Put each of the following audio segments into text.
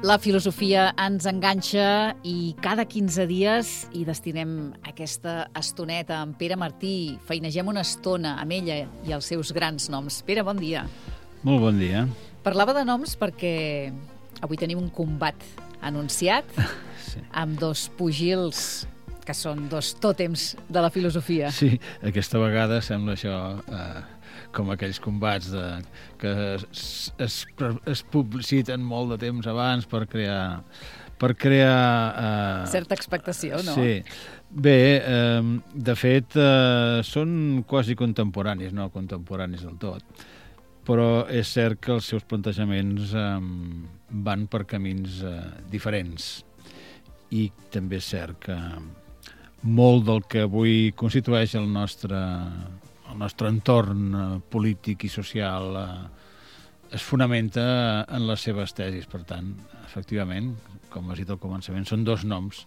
La filosofia ens enganxa i cada 15 dies hi destinem aquesta estoneta amb Pere Martí. Feinegem una estona amb ella i els seus grans noms. Pere, bon dia. Molt bon dia. Parlava de noms perquè avui tenim un combat anunciat sí. Amb dos pugils que són dos tòtems de la filosofia. Sí, aquesta vegada sembla això com aquells combats que es publiciten molt de temps abans per crear certa expectació, no? Sí. Bé, de fet, són quasi contemporanis, no contemporanis del tot, però és cert que els seus plantejaments van per camins diferents i també és cert que molt del que avui constitueix el nostre entorn polític i social es fonamenta en les seves tesis. Per tant, efectivament, com has dit al començament, són dos noms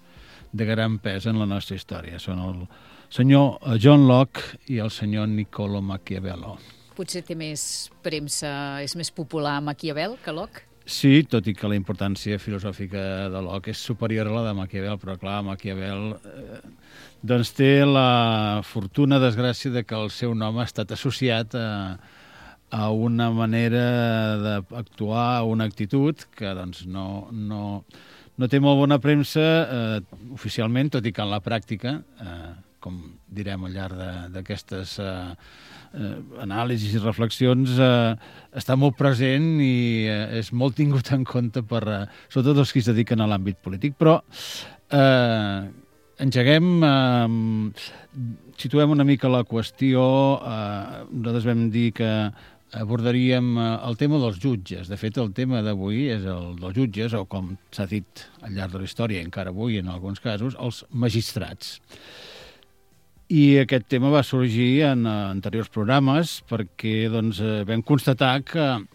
de gran pes en la nostra història. Són el senyor John Locke i el senyor Niccolò Maquiavello. Potser té més premsa, és més popular Maquiavel que Locke? Sí, tot i que la importància filosòfica de Locke és superior a la de Maquiavel, però clar, Maquiavel doncs té la fortuna, desgràcia, de que el seu nom ha estat associat a una manera d'actuar, a una actitud que doncs no té molt bona premsa oficialment, tot i que en la pràctica, com direm al llarg d'aquestes anàlisis i reflexions, està molt present i és molt tingut en compte per sobretot els que es dediquen a l'àmbit polític. Però situem una mica la qüestió. Nosaltres vam dir que abordaríem el tema dels jutges. De fet, el tema d'avui és el dels jutges, o com s'ha dit al llarg de la història, encara avui en alguns casos, els magistrats. I aquest tema va sorgir en anteriors programes perquè vam constatar que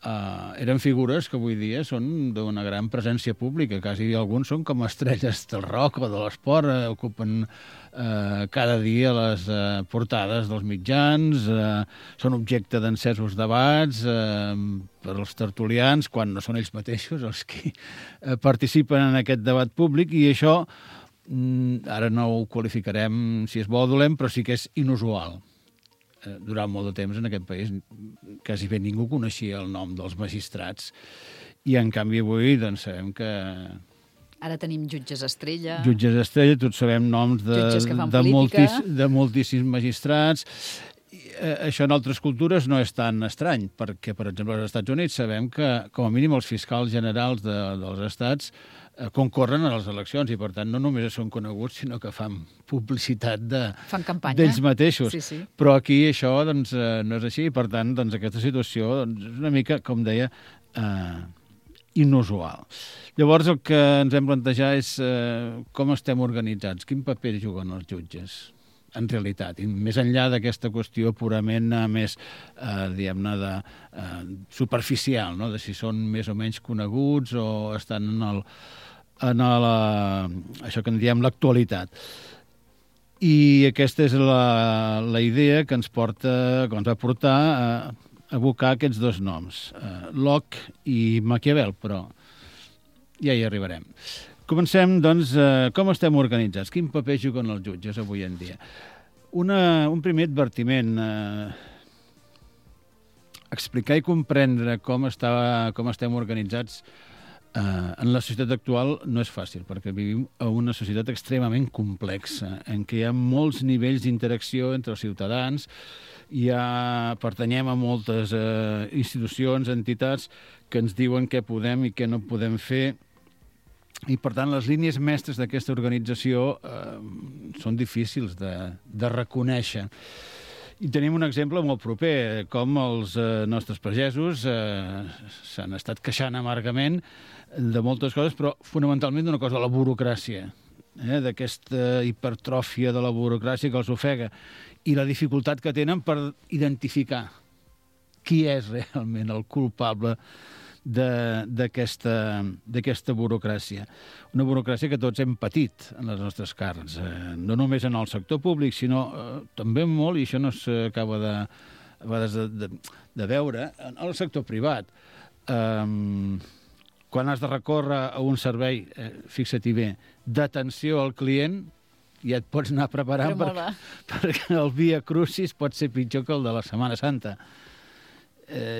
eren figures que avui dia són d'una gran presència pública. Quasi alguns són com estrelles del rock o de l'esport, ocupen cada dia les portades dels mitjans, són objecte d'encesos debats per als tertulians, quan no són ells mateixos els que participen en aquest debat públic, i això ara no ho qualificarem si és bo o dolent, però sí que és inusual. Durant molt de temps en aquest país quasi bé ningú coneixia el nom dels magistrats, i en canvi avui doncs sabem que... Ara tenim jutges estrella. Jutges estrella, tots sabem noms de moltíssims magistrats. Això en altres cultures no és tan estrany, perquè, per exemple, als Estats Units sabem que, com a mínim, els fiscals generals dels estats concorren a les eleccions i, per tant, no només són coneguts, sinó que fan publicitat d'ells mateixos. Sí. Però aquí això doncs, no és així, i, per tant, doncs, aquesta situació doncs, és una mica, com deia, inusual. Llavors, el que ens hem plantejat és com estem organitzats, quin paper juguen els jutges, en realitat, i més enllà d'aquesta qüestió purament més, diguem-ne, superficial, no? De si són més o menys coneguts o estan això que en diem l'actualitat. I aquesta és la idea que ens va portar a evocar aquests dos noms, Locke i Maquiavel, però ja hi arribarem. Comencem, doncs, com estem organitzats? Quin paper juguen els jutges avui en dia? Un primer advertiment. Explicar i comprendre com estem organitzats en la societat actual no és fàcil, perquè vivim en una societat extremament complexa, en què hi ha molts nivells d'interacció entre els ciutadans, pertanyem a moltes institucions, entitats, que ens diuen què podem i què no podem fer, i, per tant, les línies mestres d'aquesta organització són difícils de reconèixer. I tenim un exemple molt proper, com els nostres pagesos s'han estat queixant amargament de moltes coses, però fonamentalment d'una cosa, la burocràcia, d'aquesta hipertròfia de la burocràcia que els ofega, i la dificultat que tenen per identificar qui és realment el culpable d'aquesta burocràcia. Una burocràcia que tots hem patit en les nostres carns, no només en el sector públic, sinó també molt, i això no s'acaba de veure, en el sector privat. quan has de recórrer a un servei, fixa-t'hi bé, d'atenció al client, ja et pots anar preparant perquè el Via Crucis pot ser pitjor que el de la Setmana Santa.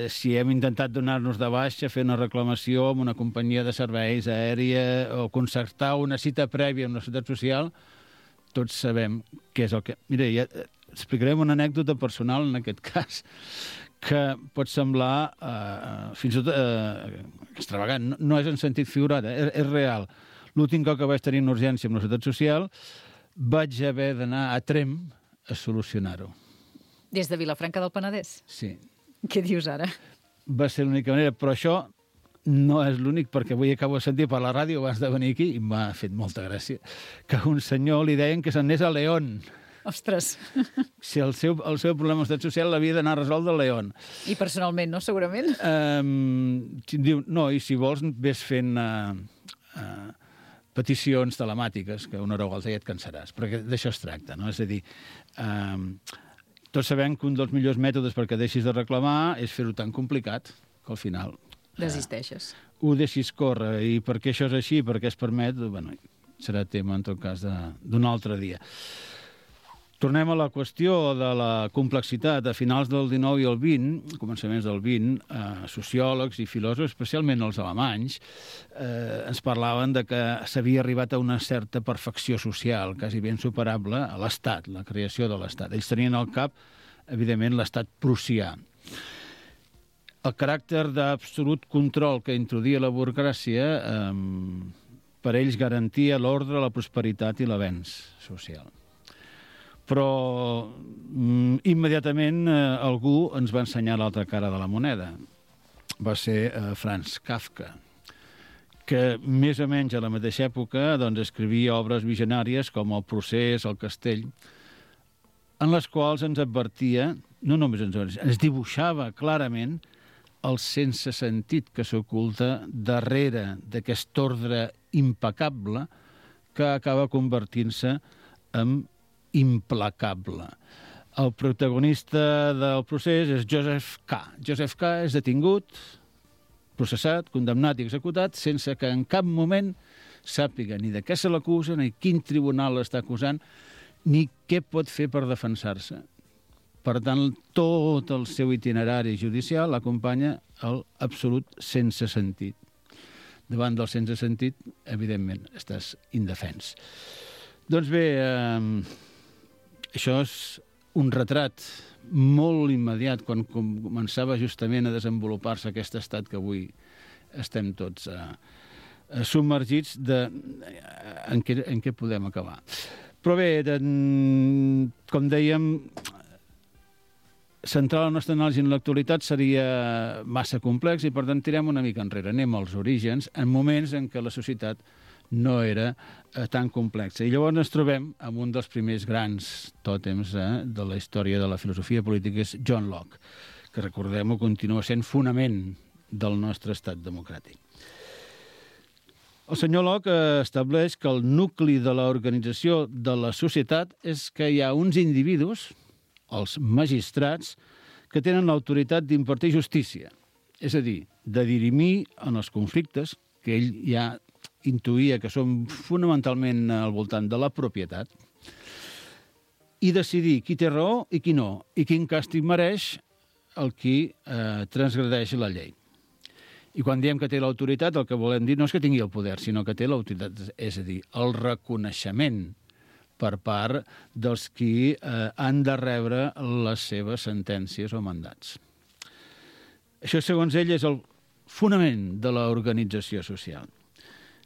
Si hem intentat donar-nos de baixa, fer una reclamació amb una companyia de serveis aèria o concertar una cita prèvia amb la Seguretat Social, tots sabem què és el que... Mira, ja explicarem una anècdota personal en aquest cas, que pot semblar fins i tot extravagant. No és en sentit figurat, és real. L'últim cop que vaig tenir una urgència amb la Seguretat Social vaig haver d'anar a Tremp a solucionar-ho. Des de Vilafranca del Penedès? Sí. Què dius ara? Va ser l'única manera, però això no és l'únic, perquè avui acabo de sentir per la ràdio abans de venir aquí, i m'ha fet molta gràcia, que a un senyor li deien que se'n anés a León. Ostres! Si el seu problema d'estat social l'havia d'anar a resoldre a León. I personalment, no? Segurament? Diu, no, i si vols ves fent peticions telemàtiques, que una hora o altra ja et cansaràs, perquè d'això es tracta, no? És a dir, tots sabem que un dels millors mètodes perquè deixis de reclamar és fer-ho tan complicat que al final... Desisteixes. Ho deixis córrer. I per què això és així, per què es permet, bueno, serà tema, en tot cas, d'un altre dia. Tornem a la qüestió de la complexitat. A finals del XIX i el XX, començaments del XX, sociòlegs i filòsofs, especialment els alemanys, ens parlaven de que s'havia arribat a una certa perfecció social, quasi ben superable, a l'Estat, la creació de l'Estat. Ells tenien al cap, evidentment, l'Estat prussià. El caràcter d'absolut control que introduïa la burocràcia per ells garantia l'ordre, la prosperitat i l'avenç social. Però immediatament algú ens va ensenyar l'altra cara de la moneda. Va ser Franz Kafka, que més o menys a la mateixa època escrivia obres visionàries com El procés, El castell, en les quals ens advertia, no només ens dibuixava clarament el sense sentit que s'oculta darrere d'aquest ordre impecable que acaba convertint-se en implacable. El protagonista del procés és Joseph K. Joseph K. és detingut, processat, condemnat i executat sense que en cap moment sàpiga ni de què se l'acusa, ni quin tribunal l'està acusant, ni què pot fer per defensar-se. Per tant, tot el seu itinerari judicial l'acompanya l'absolut sense sentit. Davant del sense sentit, evidentment, estàs indefens. Doncs bé, això és un retrat molt immediat quan començava justament a desenvolupar-se aquest estat que avui estem tots submergits en què podem acabar. Però bé, com dèiem, centrar la nostra anàlisi en l'actualitat seria massa complex i per tant tirem una mica enrere, anem als orígens, en moments en què la societat no era tan complexa. I llavors ens trobem amb un dels primers grans tòtems de la història de la filosofia política, és John Locke, que recordem-ho, continua sent fonament del nostre estat democràtic. El senyor Locke estableix que el nucli de l'organització de la societat és que hi ha uns individus, els magistrats, que tenen l'autoritat d'impartir justícia, és a dir, de dirimir en els conflictes que ell ja intuïa que són fonamentalment al voltant de la propietat, i decidir qui té raó i qui no, i quin càstig mereix el qui transgredeix la llei. I quan diem que té l'autoritat, el que volem dir no és que tingui el poder, sinó que té l'autoritat, és a dir, el reconeixement per part dels qui han de rebre les seves sentències o mandats. Això, segons ell, és el fonament de l'organització social.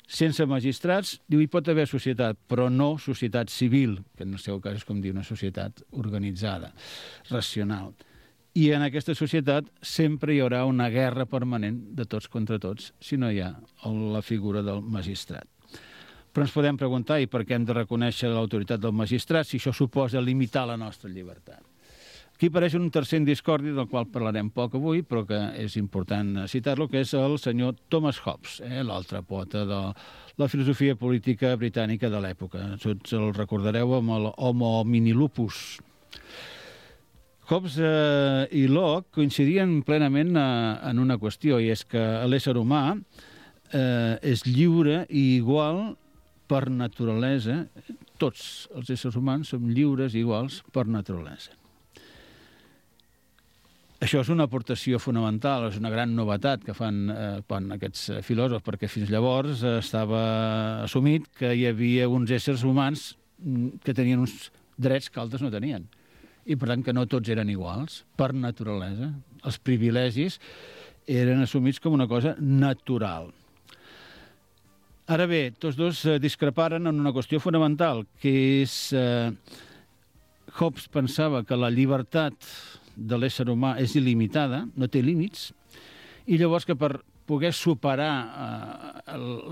Sense magistrats, diu, hi pot haver societat, però no societat civil, que en el seu cas és com dir una societat organitzada, racional. I en aquesta societat sempre hi haurà una guerra permanent de tots contra tots si no hi ha la figura del magistrat. Però ens podem preguntar, i per què hem de reconèixer l'autoritat del magistrat si això suposa limitar la nostra llibertat? Aquí apareix un tercer discordi del qual parlarem poc avui, però que és important citar-lo, que és el senyor Thomas Hobbes, l'altre pota de la filosofia política britànica de l'època. Tots el recordareu amb el Homo homini lupus. Hobbes i Locke coincidien plenament en una qüestió, i és que l'ésser humà és lliure i igual per naturalesa. Tots els éssers humans som lliures i iguals per naturalesa. Això és una aportació fonamental, és una gran novetat que fan aquests filòsofs, perquè fins llavors estava assumit que hi havia uns éssers humans que tenien uns drets que altres no tenien. I, per tant, que no tots eren iguals, per naturalesa. Els privilegis eren assumits com una cosa natural. Ara bé, tots dos discreparen en una qüestió fonamental, que és... Hobbes pensava que la llibertat de l'ésser humà és il·limitada, no té límits, i llavors que per poder superar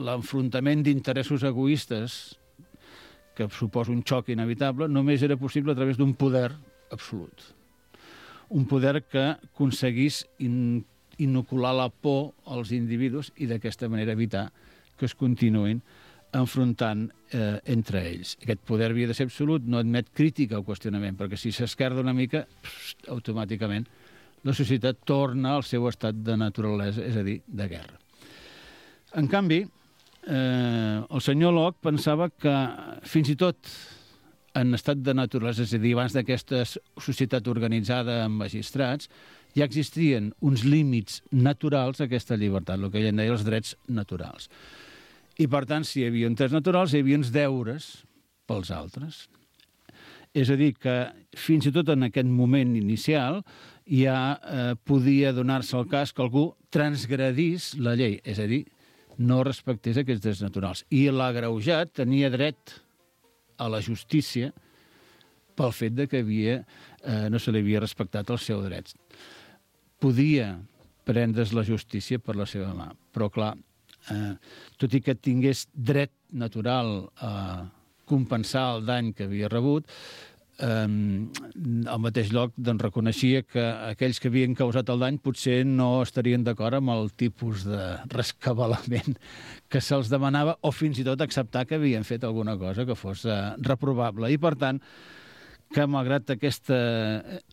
l'enfrontament d'interessos egoistes, que suposa un xoc inevitable, només era possible a través d'un poder absolut. Un poder que aconseguís inocular la por als individus i d'aquesta manera evitar que es continuïn enfrontant entre ells. Aquest poder havia de ser absolut, no admet crítica o qüestionament, perquè si s'esquerda una mica, automàticament la societat torna al seu estat de naturalesa, és a dir, de guerra. En canvi, el senyor Locke pensava que fins i tot en estat de naturalesa, és a dir, abans d'aquesta societat organitzada amb magistrats, ja existien uns límits naturals a aquesta llibertat, el que ell en deia els drets naturals. I, per tant, si hi havia uns drets naturals, hi havia uns deures pels altres. És a dir, que fins i tot en aquest moment inicial ja podia donar-se el cas que algú transgredís la llei, és a dir, no respectés aquests drets naturals. I l'agreujat tenia dret a la justícia pel fet de que no se li havia respectat els seus drets. Podia prendre's la justícia per la seva mà, però clar, tot i que tingués dret natural a compensar el dany que havia rebut, al mateix lloc reconeixia que aquells que havien causat el dany potser no estarien d'acord amb el tipus de rescabalament que se'ls demanava, o fins i tot acceptar que havien fet alguna cosa que fos reprovable. I, per tant, que malgrat aquesta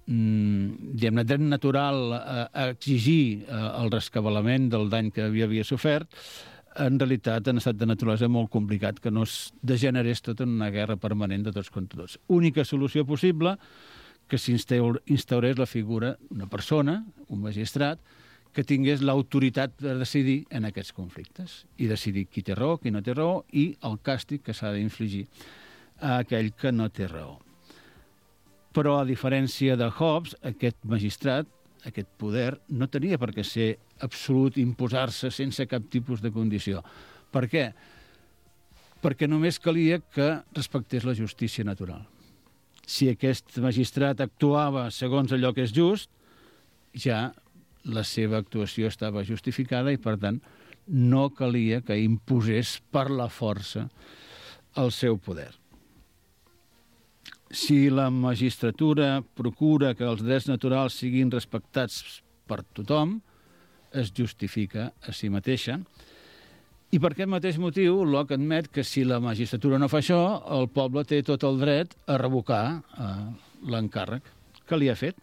dret natural a exigir el rescabalament del dany que havia sofert, en realitat en estat de naturalesa molt complicat, que no es degenerés tot en una guerra permanent de tots contra tots. Única solució possible, que s'instaurés la figura d'una persona, un magistrat, que tingués l'autoritat de decidir en aquests conflictes i decidir qui té raó, qui no té raó i el càstig que s'ha d'infligir a aquell que no té raó. Però, a diferència de Hobbes, aquest magistrat, aquest poder, no tenia per què ser absolut, imposar-se sense cap tipus de condició. Per què? Perquè només calia que respectés la justícia natural. Si aquest magistrat actuava segons allò que és just, ja la seva actuació estava justificada i, per tant, no calia que imposés per la força el seu poder. Si la magistratura procura que els drets naturals siguin respectats per tothom, es justifica a si mateixa. I per aquest mateix motiu, Locke admet que si la magistratura no fa això, el poble té tot el dret a revocar l'encàrrec que li ha fet.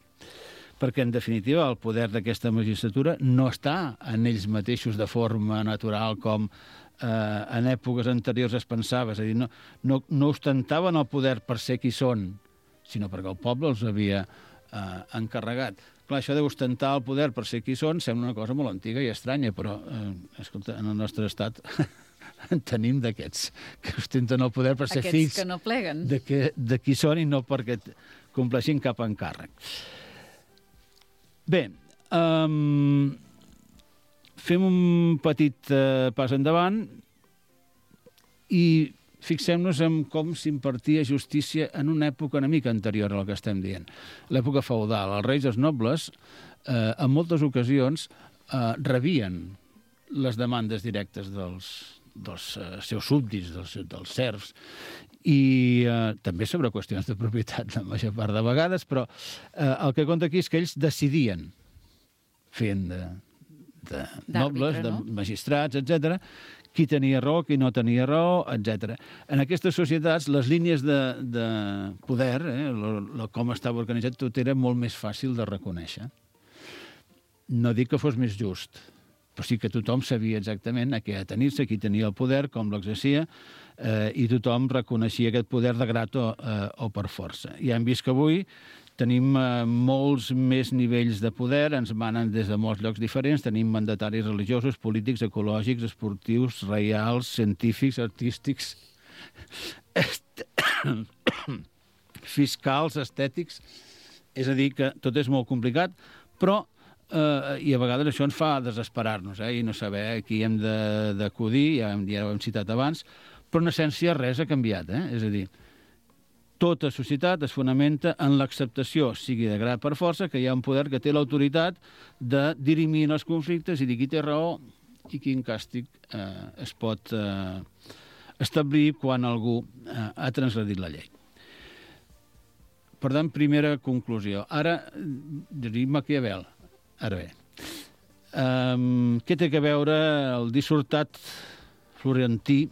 Perquè, en definitiva, el poder d'aquesta magistratura no està en ells mateixos de forma natural com en èpoques anteriors es pensava, és a dir, no ostentaven el poder per ser qui són, sinó perquè el poble els havia encarregat. Clar, això d'ostentar el poder per ser qui són sembla una cosa molt antiga i estranya, però, escolta, en el nostre estat en tenim d'aquests, que ostenten el poder per ser fills que no pleguen de qui són i no perquè compleixin cap encàrrec. Bé, fem un petit pas endavant i fixem-nos en com s'impartia justícia en una època una mica anterior a la que estem dient. L'època feudal. Els reis i els nobles, en moltes ocasions, rebien les demandes directes dels seus súbdits, dels serfs, i també sobre qüestions de propietat la major part de vegades, però el que compta aquí és que ells decidien, fent de nobles, de magistrats, etc., qui tenia raó, qui no tenia raó, etc. En aquestes societats, les línies de poder, com estava organitzat, tot era molt més fàcil de reconèixer. No dic que fos més just, però sí que tothom sabia exactament a què atenir-se, qui tenia el poder, com l'exercia, i tothom reconeixia aquest poder de grat o per força. I hem vist que avui tenim molts més nivells de poder, ens manen des de molts llocs diferents, tenim mandataris religiosos, polítics, ecològics, esportius, reials, científics, artístics, fiscals, estètics. És a dir, que tot és molt complicat, però i a vegades això ens fa desesperar-nos i no saber a qui hem d'acudir, ja ho hem citat abans, però en essència res ha canviat. És a dir, tota societat es fonamenta en l'acceptació, sigui de grat per força, que hi ha un poder que té l'autoritat de dirimir els conflictes i dir qui té raó i quin càstig es pot establir quan algú ha transgredit la llei. Per tant, primera conclusió. Ara, diria Maquiavel. Ara bé, què té a veure el dissortat florentí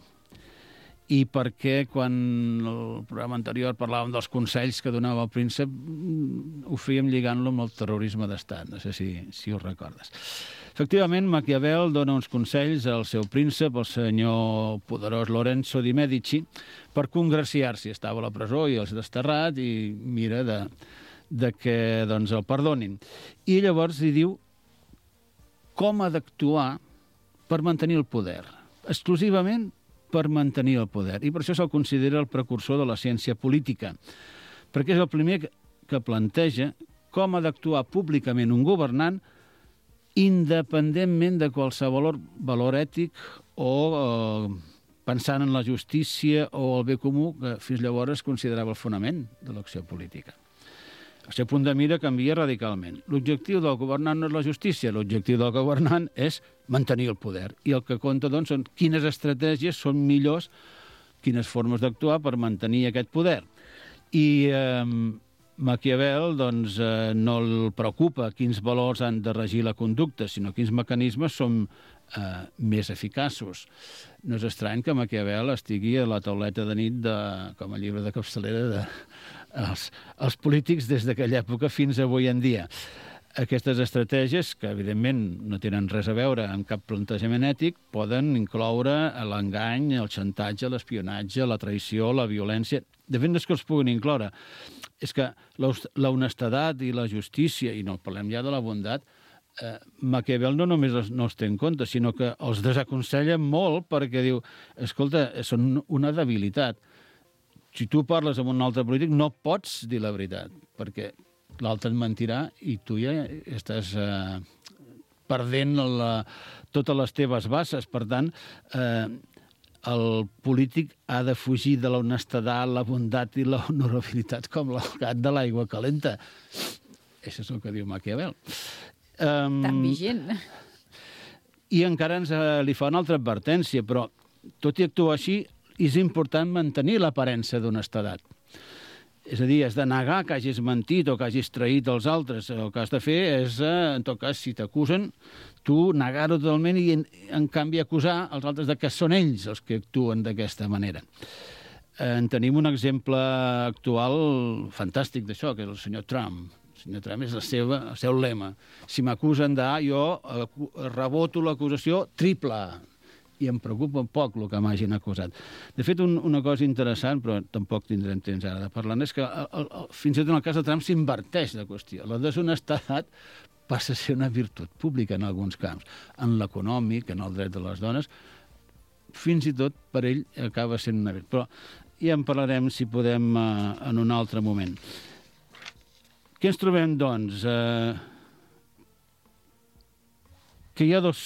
i per què quan el programa anterior parlàvem dels consells que donava el príncep ho fèiem lligant-lo amb el terrorisme d'estat? No sé si ho recordes. Efectivament, Maquiavel dona uns consells al seu príncep, el senyor poderós Lorenzo di Medici, per congraciar-s'hi. Estava a la presó i els desterrat i mira de que doncs, el perdonin. I llavors li diu com ha d'actuar per mantenir el poder. Exclusivament per mantenir el poder. I per això se'l considera el precursor de la ciència política, perquè és el primer que planteja com ha d'actuar públicament un governant independentment de qualsevol valor ètic o pensant en la justícia o el bé comú, que fins llavors es considerava el fonament de l'acció política. El seu punt de mira canvia radicalment. L'objectiu del governant no és la justícia, l'objectiu del governant és mantenir el poder. I el que compta, doncs, són quines estratègies són millors, quines formes d'actuar per mantenir aquest poder. I Maquiavel doncs, no el preocupa quins valors han de regir la conducta, sinó quins mecanismes són més eficaços. No és estrany que Maquiavel estigui a la tauleta de nit com a llibre de capçalera els polítics des d'aquella època fins avui en dia. Aquestes estratègies, que evidentment no tenen res a veure amb cap plantejament ètic, poden incloure l'engany, el xantatge, l'espionatge, la traïció, la violència. De fet, no és que els puguin incloure. És que l'honestedat i la justícia, i no parlem ja de la bondat, Maquiavel no només no els té en compte, sinó que els desaconsella molt perquè diu, escolta, són una debilitat. Si tu parles amb un altre polític no pots dir la veritat, perquè l'altre et mentirà i tu ja estàs perdent totes les teves bases. Per tant, el polític ha de fugir de l'honestedat, la bondat i la honorabilitat com el gat de l'aigua calenta. Això és el que diu Maquiavel. Tan vigent. I encara li fa una altra advertència, però tot i actuar així, és important mantenir l'aparença d'honestedat. És a dir, has de negar que hagis mentit o que hagis traït els altres. El que has de fer és, en tot cas, si t'acusen, tu negar-ho totalment i, en canvi, acusar els altres de que són ells els que actuen d'aquesta manera. En tenim un exemple actual fantàstic d'això, que és el senyor Trump. El senyor Trump és el seu lema. Si m'acusen d'A, jo reboto l'acusació triple. I em preocupa poc el que m'hagin acusat. De fet, una cosa interessant, però tampoc tindrem temps ara de parlar, és que fins i tot en el cas de Trump s'inverteix la qüestió. La deshonestedat passa a ser una virtut pública en alguns camps. En l'econòmic, en el dret de les dones, fins i tot per ell acaba sent una virtut. Però ja en parlarem, si podem, en un altre moment. Què ens trobem, doncs? Que hi ha dos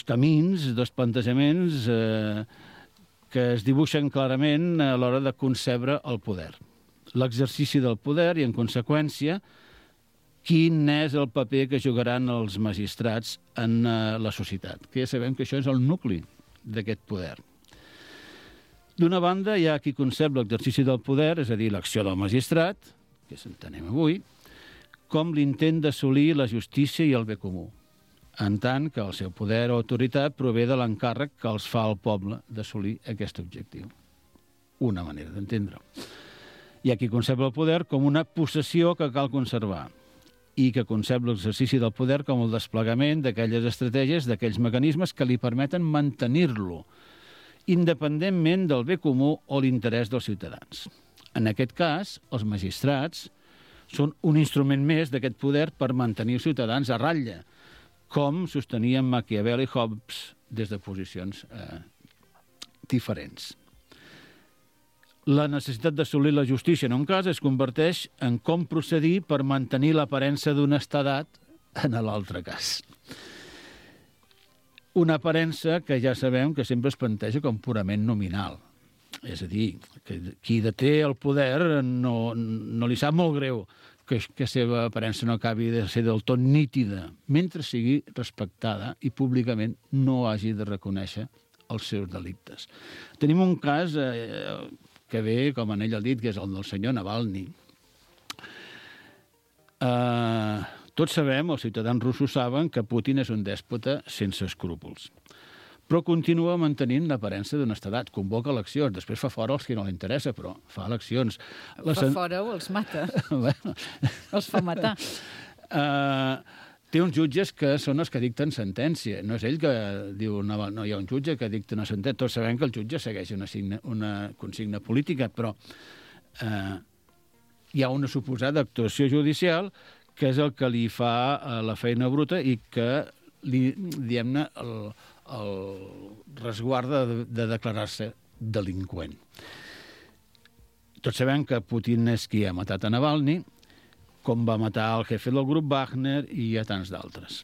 camins, dos plantejaments que es dibuixen clarament a l'hora de concebre el poder. L'exercici del poder i, en conseqüència, quin és el paper que jugaran els magistrats en la societat, que ja sabem que això és el nucli d'aquest poder. D'una banda, hi ha qui concep l'exercici del poder, és a dir, l'acció del magistrat, que s'entenem avui, com l'intent d'assolir la justícia i el bé comú, en tant que el seu poder o autoritat prové de l'encàrrec que els fa el poble d'assolir aquest objectiu. Una manera d'entendre-ho. Hi ha qui concep el poder com una possessió que cal conservar. i que concep l'exercici del poder com el desplegament d'aquelles estratègies, d'aquells mecanismes que li permeten mantenir-lo, independentment del bé comú o l'interès dels ciutadans. En aquest cas, els magistrats són un instrument més d'aquest poder per mantenir els ciutadans a ratlla, com sostenien Maquiavel i Hobbes des de posicions diferents. La necessitat d'assolir la justícia en un cas es converteix en com procedir per mantenir l'aparença d'honestedat en l'altre cas. Una aparença que ja sabem que sempre es planteja com purament nominal. És a dir, que qui deté el poder no li sap molt greu que la seva aparença no acabi de ser del tot nítida, mentre sigui respectada i públicament no hagi de reconèixer els seus delictes. Tenim un cas que ve, com en ell ha dit, que és el del senyor Navalny. Tots sabem, els ciutadans russos saben, que Putin és un dèspota sense escrúpols. Però continua mantenint l'aparença d'honestedat. Convoca eleccions, després fa fora els que no li interessa, però fa eleccions. Fa fora o els mata. Els fa matar. Té uns jutges que són els que dicten sentència. No és ell que diu, no, hi ha un jutge que dicta una sentència. Tots sabem que el jutge segueix una consigna política, però hi ha una suposada actuació judicial que és el que li fa la feina bruta i que li, diguem-ne, el resguarda de declarar-se delinqüent. Tots sabem que Putin és qui ha matat a Navalny, com va matar el jefe del grup Wagner i a tants d'altres.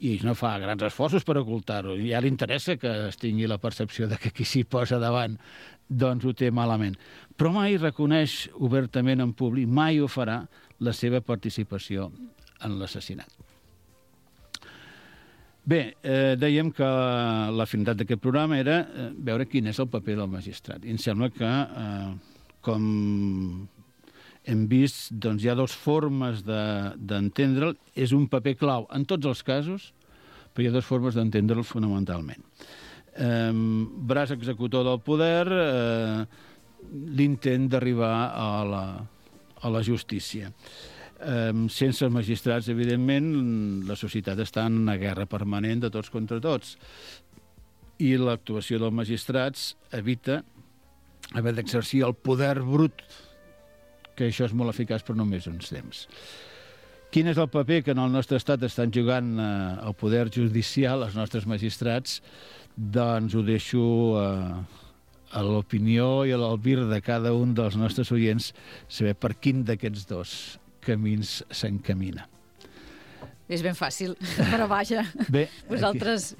I ell no fa grans esforços per ocultar-ho. Ja li interessa que es tingui la percepció de que qui s'hi posa davant doncs ho té malament. Però mai reconeix obertament en públic, mai ho farà, la seva participació en l'assassinat. Bé, dèiem que la finalitat d'aquest programa era veure quin és el paper del magistrat. I em sembla que, com hem vist, doncs hi ha dues formes d'entendre'l. És un paper clau en tots els casos, però hi ha dues formes d'entendre'l fonamentalment. Braç executor del poder, l'intent d'arribar a la justícia. Sense els magistrats, evidentment, la societat està en una guerra permanent de tots contra tots. I l'actuació dels magistrats evita haver d'exercir el poder brut, que això és molt eficaç per només uns temps. Quin és el paper que en el nostre estat estan jugant el poder judicial, els nostres magistrats? Doncs ho deixo a l'opinió i a l'albir de cada un dels nostres oients saber per quin d'aquests dos camins s'encamina. És ben fàcil, però vaja, bé, vosaltres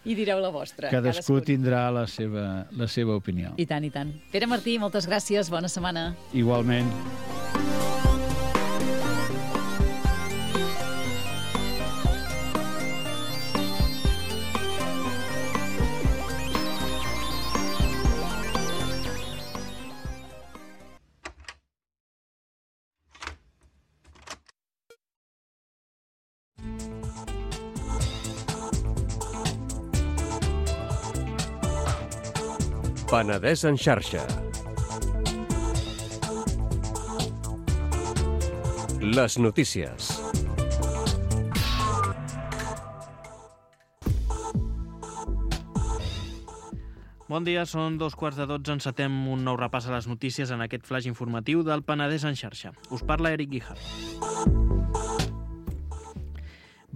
hi direu la vostra. Cadascú tindrà la seva opinió. I tant, i tant. Pere Martí, moltes gràcies, bona setmana. Igualment. Penedès en xarxa. Les notícies. Bon dia, són 2:15. Encetem un nou repàs a les notícies en aquest flash informatiu del Penedès en xarxa. Us parla Eric Guijar.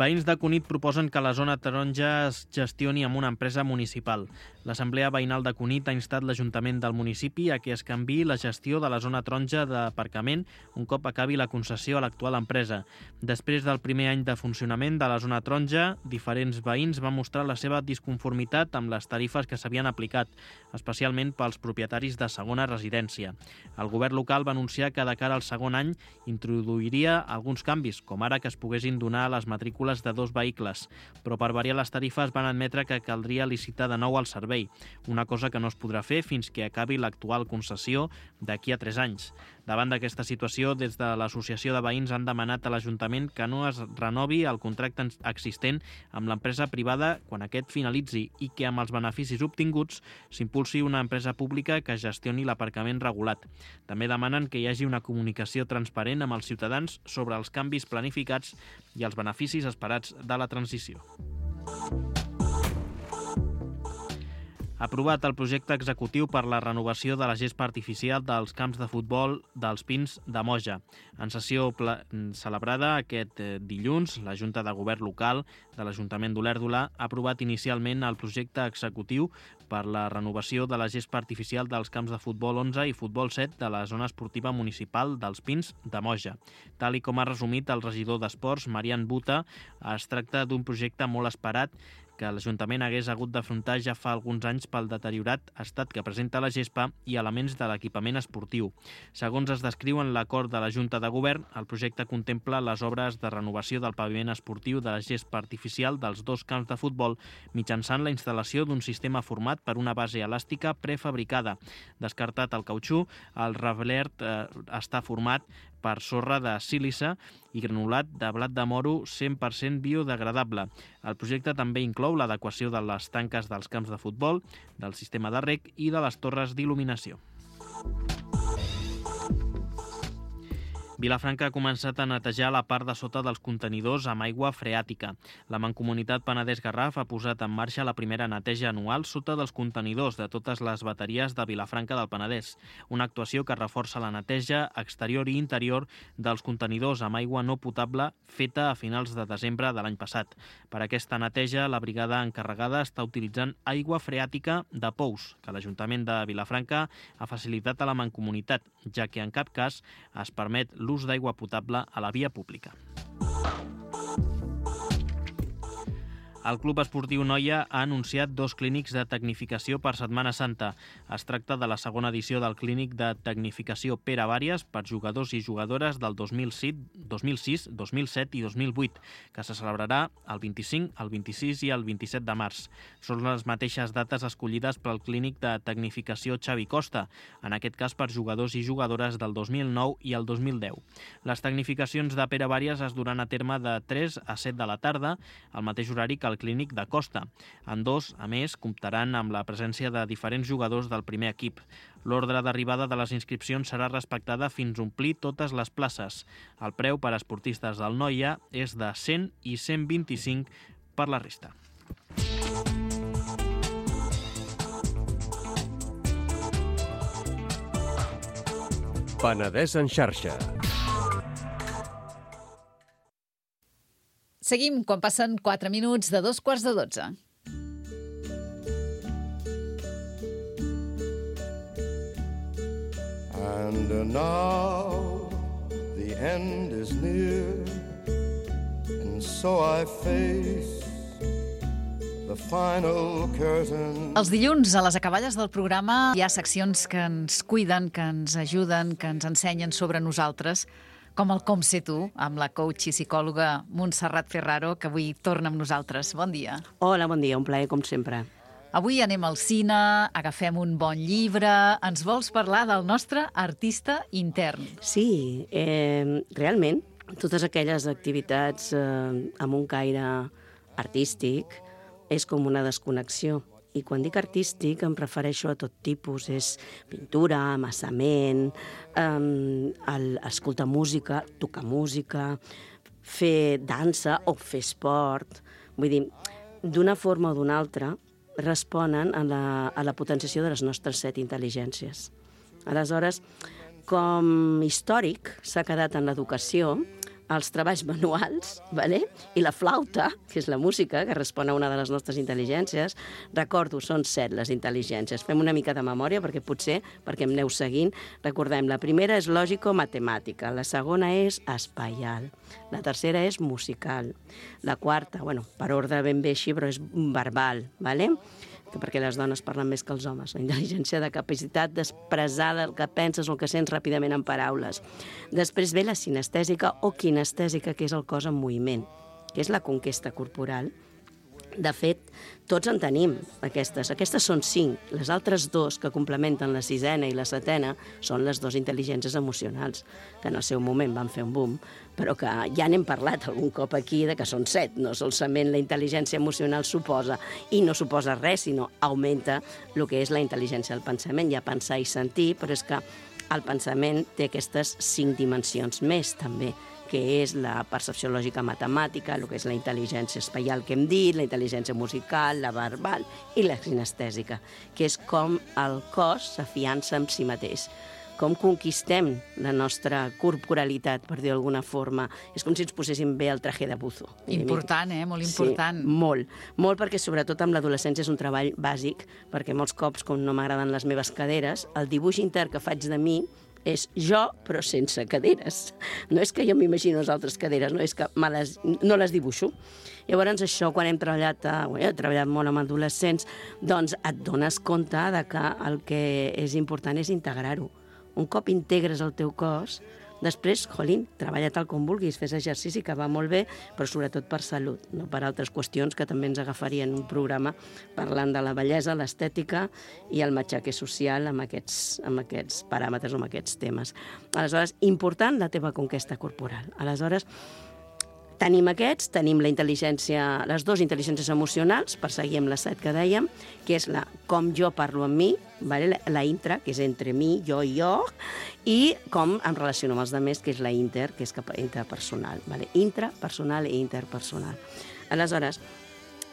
Veïns de Cunit proposen que la zona taronja es gestioni amb una empresa municipal. L'Assemblea Veïnal de Cunit ha instat l'Ajuntament del municipi a que es canviï la gestió de la zona taronja d'aparcament un cop acabi la concessió a l'actual empresa. Després del primer any de funcionament de la zona taronja, diferents veïns van mostrar la seva disconformitat amb les tarifes que s'havien aplicat, especialment pels propietaris de segona residència. El govern local va anunciar que de cara al segon any introduiria alguns canvis, com ara que es poguessin donar les matrícules matrícules de 2 vehicles, però per variar les tarifes van admetre que caldria licitar de nou el servei, una cosa que no es podrà fer fins que acabi l'actual concessió d'aquí a 3 anys. Davant d'aquesta situació, des de l'Associació de Veïns han demanat a l'Ajuntament que no es renovi el contracte existent amb l'empresa privada quan aquest finalitzi i que amb els beneficis obtinguts s'impulsi una empresa pública que gestioni l'aparcament regulat. També demanen que hi hagi una comunicació transparent amb els ciutadans sobre els canvis planificats i els beneficis esperats de la transició. Aprovat el projecte executiu per la renovació de la gespa artificial dels camps de futbol dels Pins de Moja. En sessió celebrada aquest dilluns, la Junta de Govern local de l'Ajuntament d'Olèrdola ha aprovat inicialment el projecte executiu per la renovació de la gespa artificial dels camps de futbol 11 i futbol 7 de la zona esportiva municipal dels Pins de Moja. Tal i com ha resumit el regidor d'Esports, Marian Buta, es tracta d'un projecte molt esperat que l'Ajuntament hagués hagut d'afrontar ja fa alguns anys pel deteriorat estat que presenta la gespa i elements de l'equipament esportiu. Segons es descriu en l'acord de la Junta de Govern, el projecte contempla les obres de renovació del paviment esportiu de la gespa artificial dels 2 camps de futbol mitjançant la instal·lació d'un sistema format per una base elàstica prefabricada. Descartat el cautxú, el reblert està format per sorra de sílice i granulat de blat de moro 100% biodegradable. El projecte també inclou l'adequació de les tanques dels camps de futbol, del sistema de reg i de les torres d'il·luminació. Vilafranca ha començat a netejar la part de sota dels contenidors amb aigua freàtica. La Mancomunitat Penedès-Garraf ha posat en marxa la primera neteja anual sota dels contenidors de totes les bateries de Vilafranca del Penedès, una actuació que reforça la neteja exterior i interior dels contenidors amb aigua no potable feta a finals de desembre de l'any passat. Per aquesta neteja, la brigada encarregada està utilitzant aigua freàtica de pous, que l'Ajuntament de Vilafranca ha facilitat a la Mancomunitat, ja que en cap cas es permet l'ús d'aigua potable a la via pública. El Club Esportiu Noia ha anunciat 2 clínics de tecnificació per Setmana Santa. Es tracta de la segona edició del clínic de tecnificació Pere Vàries per jugadors i jugadores del 2006, 2007 i 2008, que se celebrarà el 25, el 26 i el 27 de març. Són les mateixes dates escollides pel clínic de tecnificació Xavi Costa, en aquest cas per jugadors i jugadores del 2009 i el 2010. Les tecnificacions de Pere Vàries es duran a terme de 3 a 7 de la tarda, al mateix horari que al clínic de Costa. En dos, a més, comptaran amb la presència de diferents jugadors del primer equip. L'ordre d'arribada de les inscripcions serà respectada fins a omplir totes les places. El preu per a esportistes del Noia és de 100 i 125 per la resta. Penedès en xarxa. Seguim quan passen 4 minuts de 2:15. And now the end is near, and so I face the final curtain. Els dilluns, a les acaballes del programa, hi ha seccions que ens cuiden, que ens ajuden, que ens ensenyen sobre nosaltres, com el Com sé tu, amb la coach i psicòloga Montserrat Ferraro, que avui torna amb nosaltres. Bon dia. Hola, bon dia, un plaer, com sempre. Avui anem al cine, agafem un bon llibre. Ens vols parlar del nostre artista intern? Sí, realment, totes aquelles activitats amb un caire artístic és com una desconnexió. I quan dic artístic em refereixo a tot tipus. És pintura, amassament, escoltar música, tocar música, fer dansa o fer esport. Vull dir, d'una forma o d'una altra, responen a la potenciació de les nostres 7 intel·ligències. Aleshores, com històric s'ha quedat en l'educació els treballs manuals, i la flauta, que és la música, que respon a una de les nostres intel·ligències. Recordo, són 7 les intel·ligències. Fem una mica de memòria, perquè potser, perquè em aneu seguint, recordem, la primera és lògico-matemàtica, la segona és espaial, la tercera és musical, la quarta, per ordre ben bé així, però és verbal, perquè les dones parlen més que els homes, la intel·ligència de capacitat d'expressar el que penses o el que sents ràpidament en paraules. Després ve la sinestèsica o kinestèsica, que és el cos en moviment. que és la conquesta corporal. De fet, tots en tenim aquestes. Aquestes són 5. Les altres 2 que complementen la 6a i la 7a són les 2 intel·ligències emocionals, que en el seu moment van fer un boom, però que ja n'hem parlat algun cop aquí de que són 7. No solament la intel·ligència emocional suposa, i no suposa res, sinó augmenta el que és la intel·ligència del pensament. Hi ha pensar i sentir, però és que el pensament té aquestes 5 dimensions més, també, que és la percepció lògica matemàtica, el que és la intel·ligència espaial que hem dit, la intel·ligència musical, la verbal i la sinestèsica, que és com el cos s'afiança en si mateix, com conquistem la nostra corporalitat, per dir d'alguna forma. És com si ens poséssim bé el traje de buzo. Important, Molt important. Sí, molt. Molt, perquè sobretot amb l'adolescència és un treball bàsic, perquè molts cops, com no m'agraden les meves caderes, el dibuix intern que faig de mi és jo, però sense caderes. No és que jo m'imagino les altres caderes, no és que no les dibuixo. Llavors, això, quan he treballat molt amb adolescents, doncs et dones compte de que el que és important és integrar-ho. Un cop integres el teu cos, després, treballa tal com vulguis, fes exercici, que va molt bé, però sobretot per salut, no per altres qüestions que també ens agafarien un programa parlant de la bellesa, l'estètica i el matxaque social amb aquests paràmetres o amb aquests temes. Aleshores, important la teva conquesta corporal. Aleshores, tenim aquests, tenim la intel·ligència, les 2 intel·ligències emocionals, per seguir amb les 7 que dèiem, que és la com jo parlo amb mi, la intra, que és entre mi, jo i jo, i com em relaciono amb els altres, que és la inter, que és interpersonal. Intrapersonal i interpersonal. Aleshores,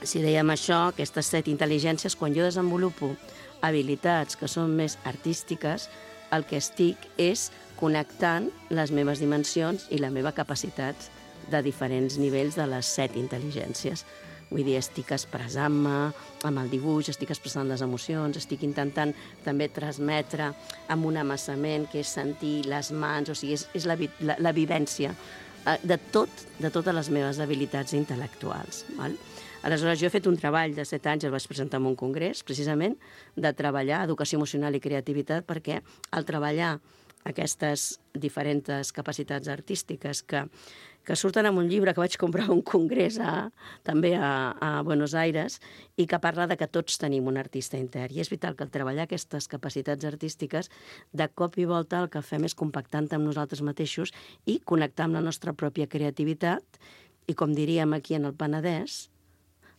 si dèiem això, aquestes 7 intel·ligències, quan jo desenvolupo habilitats que són més artístiques, el que estic és connectant les meves dimensions i la meva capacitat de diferents nivells de les 7 intel·ligències. Vull dir, estic expressant-me amb el dibuix, estic expressant les emocions, estic intentant també transmetre amb un amassament, que és sentir les mans, o sigui, és la vivència de totes les meves habilitats intel·lectuals. Val? Aleshores, jo he fet un treball de 7 anys, el vaig presentar en un congrés, precisament, de treballar educació emocional i creativitat, perquè al treballar aquestes diferents capacitats artístiques que surten en un llibre que vaig comprar a un congrés també a Buenos Aires i que parla de que tots tenim un artista intern. I és vital que al treballar aquestes capacitats artístiques, de cop i volta el que fem és compactar amb nosaltres mateixos i connectar amb la nostra pròpia creativitat i, com diríem aquí en el Penedès,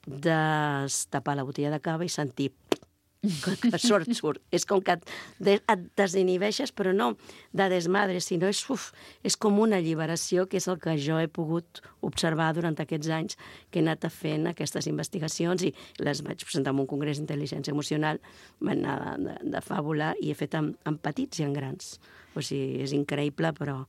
destapar la botella de cava i sentir que surt. És com que et desinhibeixes, però no de desmadre, sinó és com una alliberació, que és el que jo he pogut observar durant aquests anys que he anat fent aquestes investigacions i les vaig presentar en un congrés d'intel·ligència emocional, van anar de fàbula i he fet en petits i en grans. O sigui, és increïble, però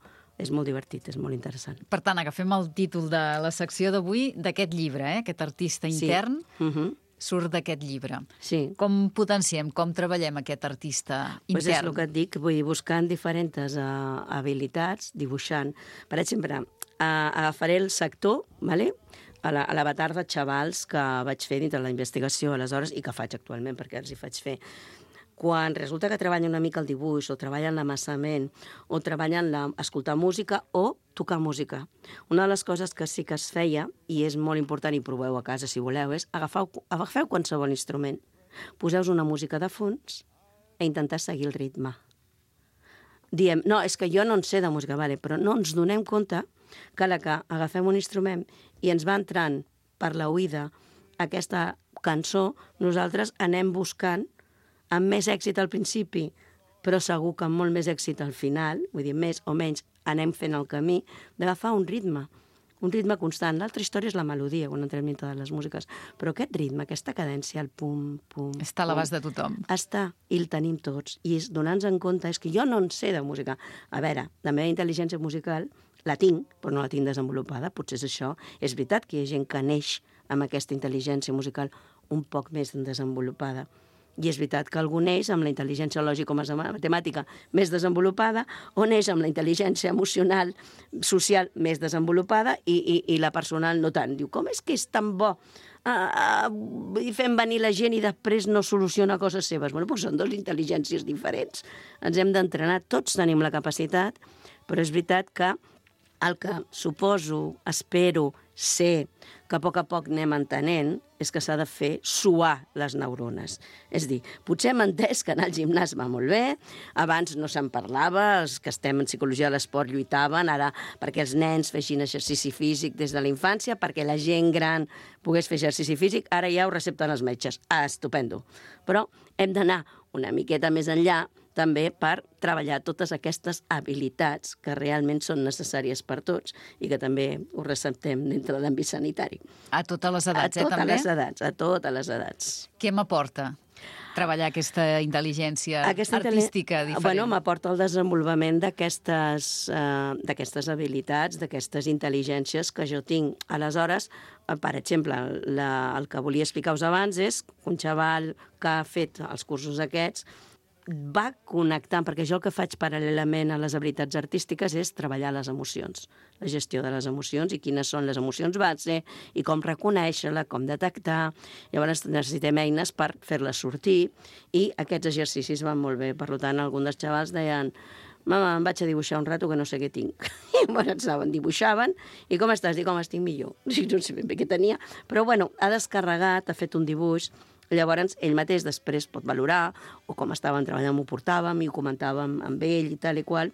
és molt divertit, és molt interessant. Per tant, agafem el títol de la secció d'avui d'aquest llibre, aquest artista intern. Sí. Surt d'aquest llibre. Sí. Com potenciem, com treballem aquest artista intern? Pues és el que et dic, vull dir, buscant diferents habilitats, dibuixant. Per exemple, agafaré el sector, ¿vale? a l'avatar de xavals que vaig fer dintre la investigació aleshores i que faig actualment, perquè els hi faig fer. Quan resulta que treballen una mica el dibuix, o treballen l'amassament, o treballen escoltar música o tocar música. Una de les coses que sí que es feia, i és molt important, i proveu a casa si voleu, és agafeu qualsevol instrument, poseu una música de fons i intentar seguir el ritme. Diem, no, és que jo no en sé de música, vale, però no ens donem compte que agafem un instrument i ens va entrant per l'oïda aquesta cançó, nosaltres anem buscant amb més èxit al principi, però segur que amb molt més èxit al final, vull dir, més o menys anem fent el camí, d'agafar un ritme constant. L'altra història és la melodia, quan entrem dintre de les músiques, però aquest ritme, aquesta cadència, el pum, pum... Està a l'abast de tothom. Està, i el tenim tots. I donar-nos en compte és que jo no en sé de música. A veure, la meva intel·ligència musical la tinc, però no la tinc desenvolupada, potser és això. És veritat que hi ha gent que neix amb aquesta intel·ligència musical un poc més desenvolupada. I és veritat que algú neix amb la intel·ligència lògica o matemàtica més desenvolupada o neix amb la intel·ligència emocional, social més desenvolupada i la personal no tant. Diu, com és que és tan bo fem venir la gent i després no soluciona coses seves? Bueno, doncs són dues intel·ligències diferents. Ens hem d'entrenar, tots tenim la capacitat, però és veritat que el que suposo, espero, sé que a poc anem entenent és que s'ha de fer suar les neurones. És a dir, potser hem entès que anar al gimnàs va molt bé, abans no se'n parlava, els que estem en psicologia de l'esport lluitaven, ara perquè els nens fessin exercici físic des de la infància, perquè la gent gran pogués fer exercici físic, ara ja ho recepten els metges. Ah, estupendo. Però hem d'anar una miqueta més enllà també per treballar totes aquestes habilitats que realment són necessàries per tots i que també ho receptem dintre de l'àmbit sanitari. A totes les edats, també? A totes les edats. Què m'aporta treballar aquesta intel·ligència artística diferent? Bueno, m'aporta el desenvolupament d'aquestes habilitats, d'aquestes intel·ligències que jo tinc. Aleshores, per exemple, el que volia explicar-vos abans és que un xaval que ha fet els cursos aquests va connectant, perquè jo el que faig paral·lelament a les habilitats artístiques és treballar les emocions, la gestió de les emocions i quines són les emocions base i com reconèixer-la, com detectar. Llavors necessitem eines per fer-les sortir i aquests exercicis van molt bé. Per tant, alguns dels xavals deien: mama, em vaig a dibuixar un rato que no sé què tinc. I llavors dibuixaven, i com estàs? Dic, com estic millor. No sé ben bé què tenia, però bueno, ha descarregat, ha fet un dibuix. Llavors, ell mateix després pot valorar, o com estàvem treballant m'ho portàvem i ho comentàvem amb ell i tal i qual,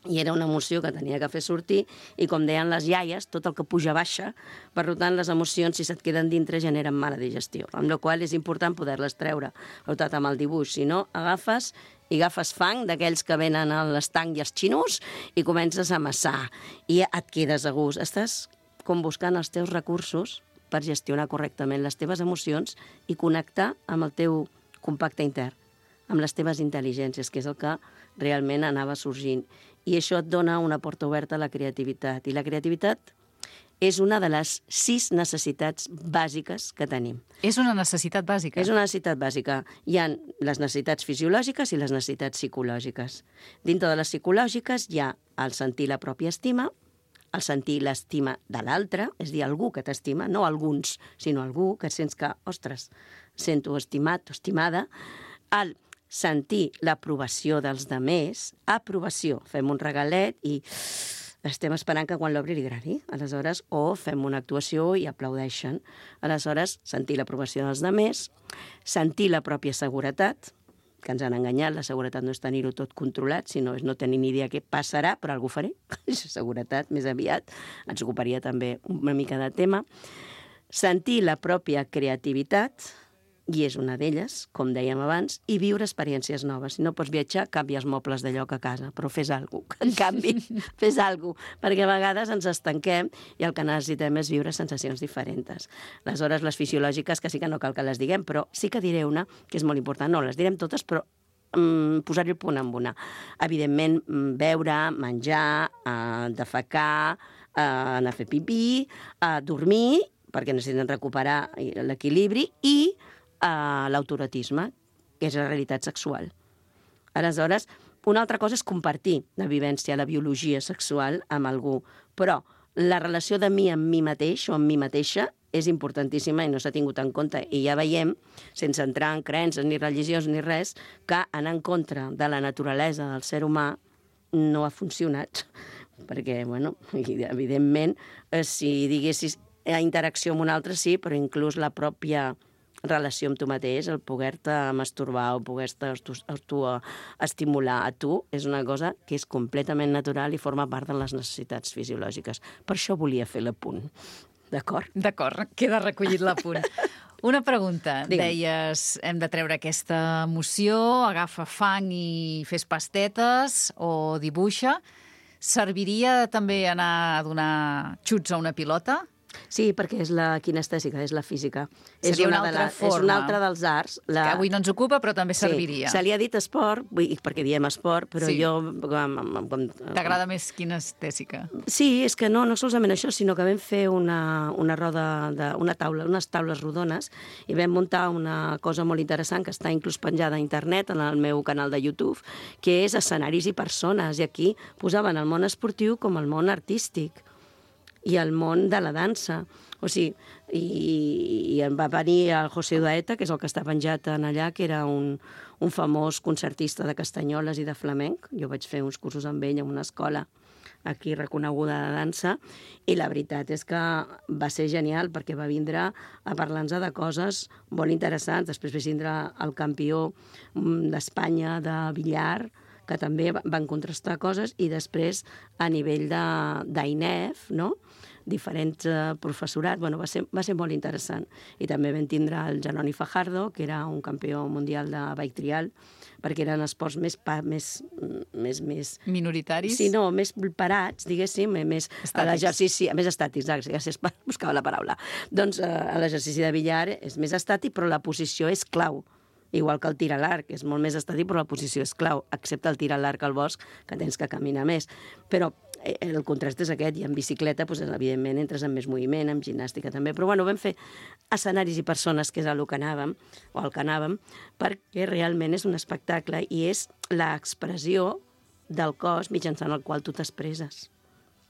i era una emoció que tenia que fer sortir, i com deien les iaies, tot el que puja baixa, per tant, les emocions, si se't queden dintre, generen mala digestió, amb la qual és important poder-les treure, per tant, amb el dibuix. Si no, agafes fang d'aquells que venen a l'estanc i els xinos i comences a amassar, i et quedes a gust. Estàs com buscant els teus recursos per gestionar correctament les teves emocions i connectar amb el teu compacte intern, amb les teves intel·ligències, que és el que realment anava sorgint. I això et dona una porta oberta a la creativitat. I la creativitat és una de les 6 necessitats bàsiques que tenim. És una necessitat bàsica? És una necessitat bàsica. Hi ha les necessitats fisiològiques i les necessitats psicològiques. Dintre de les psicològiques hi ha el sentir la pròpia estima, el sentir l'estima de l'altre, és a dir, algú que t'estima, no alguns, sinó algú que sents que, ostres, sento estimat o estimada, el sentir l'aprovació dels demés, aprovació, fem un regalet i estem esperant que quan l'obri li agradi, aleshores, o fem una actuació i aplaudeixen, aleshores, sentir l'aprovació dels demés, sentir la pròpia seguretat, que ens han enganyat, la seguretat no és tenir-ho tot controlat, sinó és no tenir ni idea què passarà, però alguna faré. Seguretat, més aviat, ens ocuparia també una mica de tema. Sentir la pròpia creativitat, i és una d'elles, com dèiem abans, i viure experiències noves. Si no pots viatjar, canvia els mobles de lloc a casa, però fes alguna cosa. En canvi, fes alguna cosa, perquè a vegades ens estanquem i el que necessitem és viure sensacions diferents. Aleshores, les fisiològiques, que sí que no cal que les diguem, però sí que diré una, que és molt important. No, les direm totes, però posar-hi el punt amb una. Evidentment, beure, menjar, defecar, anar a fer pipí, dormir, perquè necessiten recuperar l'equilibri, i l'autoerotisme, que és la realitat sexual. Aleshores, una altra cosa és compartir la vivència, la biologia sexual amb algú, però la relació de mi amb mi mateix o amb mi mateixa és importantíssima i no s'ha tingut en compte. I ja veiem, sense entrar en creences ni religions ni res, que anar en contra de la naturalesa del ser humà no ha funcionat. Perquè, bueno, evidentment, si diguessis interacció amb un altre sí, però inclús la pròpia relació amb tu mateix, el poder-te masturbar o poder-te estimular a tu, és una cosa que és completament natural i forma part de les necessitats fisiològiques. Per això volia fer l'apunt. D'acord? D'acord, queda recollit l'apunt. Una pregunta. Digue'm. Deies, hem de treure aquesta emoció, agafa fang i fes pastetes o dibuixa. Serviria també anar a donar xuts a una pilota? Sí, perquè és la kinestèsica, és la física. Seria una altra forma. És una altra dels arts. Que avui no ens ocupa, però també serviria. Sí, se li ha dit esport, perquè diem esport, però sí. jo... T'agrada més kinestèsica? Sí, és que no solament això, sinó que vam fer una roda, unes taules rodones, i vam muntar una cosa molt interessant que està inclús penjada a internet, en el meu canal de YouTube, que és escenaris i persones, i aquí posaven el món esportiu com el món artístic i el món de la dansa. O sigui, i em va venir el José Udaeta, que és el que està penjat en allà, que era un famós concertista de castanyoles i de flamenc. Jo vaig fer uns cursos amb ell en una escola aquí reconeguda de dansa, i la veritat és que va ser genial perquè va vindre a parlar-nos de coses molt interessants. Després va vindre el campió d'Espanya de billar, que també van contrastar coses, i després a nivell d'INEF, no?, diferents professorat, va ser molt interessant. I també vam tindre el Janoni Fajardo, que era un campió mundial de bike trial, perquè eren esports més minoritaris? Sí, no, més parats, diguéssim, més a l'exercici, més estàtics, gràcies per buscar la paraula. Doncs l'exercici de billar és més estàtic, però la posició és clau. Igual que el tir a l'arc, és molt més estàtic, però la posició és clau, excepte el tir a l'arc al bosc, que tens que caminar més. Però el contrast és aquest, i en bicicleta, doncs, evidentment, entres en més moviment, en gimnàstica també. Però bueno, vam fer escenaris i persones, que és el que anàvem, perquè realment és un espectacle i és l'expressió del cos mitjançant el qual tu t'expresses.